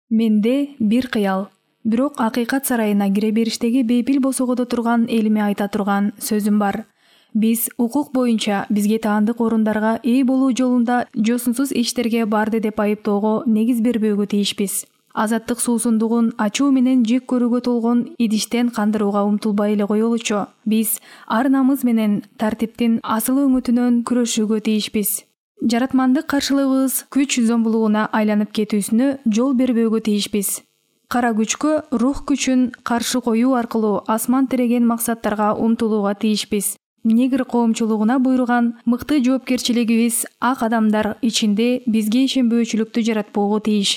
Менде бир кыял, бирок акыйкат сарайына кире бериштеги бейпил босогодо турган элиме айта турган сөзүм бар. Биз укук боюнча бизге таандык орундарга ээ болуу жолунда жосунсуз иштерге барды деп айыптоого негиз бербөөгө тийишпиз. Азаттык суусундугун ачуу менен жек көрүүгө толгон идиштен кандырууга умтулбай эле коелучу. Биз ар намыс менен тартиптин асыл өңөтүнөн күрөшүүгө тийишпиз. Жаратмандык каршылыгыбыз күч зомбулугуна айланып кетүүсүнө жол бербөөгө тийишпиз. Кара күчкө рух күчүн каршы коюу аркылуу асман тиреген максаттарга умтулууга тийишпиз. Негр коомчулугуна буйруган мыкты жоопкерчилигибиз ак адамдар ичинде бизге ишенбөөчүлүктү жаратпоого тийиш.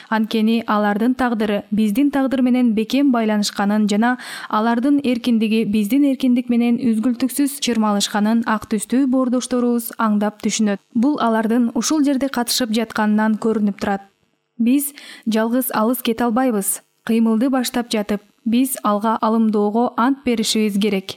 Анткени алардын тагдыры биздин тагдыр менен бекем байланышканын жана алардын эркиндиги биздин эркиндик менен үзгүлтүксүз чырмалышканын ак түстүү боордошторубуз аңдап түшүнөт. Бул алардын ушул жерде катышып жатканынан көрүнүп турат. Биз жалгыз алыс кете албайбыз. Кыймылды баштап жатып, биз алга алымдоого ант беришибиз керек.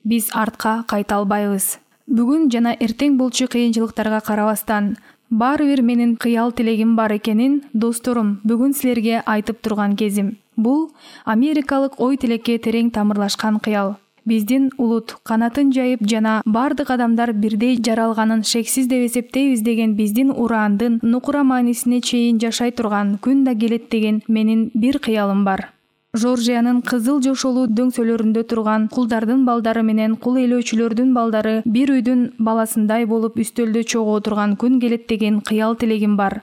Биз артка кайта албайбыз. Бүгүн жана эртең болчу кыйынчылыктарга карабастан, баары бир менин кыял тилегим бар экенин, досторум, бүгүн силерге айтып турган кезим. Бул америкалык ой тилекке терең тамырлашкан кыял. Биздин улут канатын жайып жана бардык адамдар бирдей жаралганын шексиз деп эсептейбиз деген биздин ураандын нукура маанисине чейин жашай турган күн да келет деген менин бир кыялым бар. Жоржиянын кызыл жошолуу дөңсөлөрүндө турган кулдардын балдары менен кул ээлөөчүлөрдүн балдары бир үйдүн баласындай болуп үстөлдө чогуу турган күн келет деген кыял тилегим бар.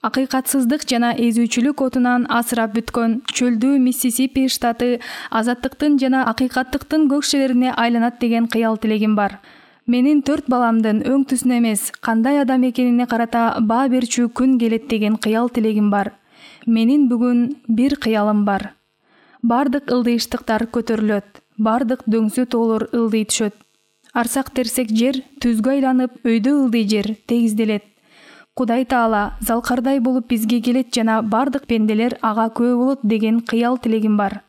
Акыйкатсыздык жана эзүүчүлүк отунан асырап бүткөн чөлдүү Миссисипи штаты азаттыктын жана акыйкаттыктын көк шеберине айланат деген кыял тилегим бар. Менин 4 баламдын өң түсүнө эмес, кандай адам экенине карата баа берчү күн келет деген кыял тилегим бар. Менин бүгүн бир кыялым бар. Бардык ылдыйыштыктар көтөрүлөт, бардык дөңсө тоолор ылдый түшөт. Арсак терсек жер түзгө айланып, өйдө ылдый жер тегизделет. Кудай Таала залкардай болуп бизге келет жана бардык пенделер ага күбө болот деген кыял тилегим бар.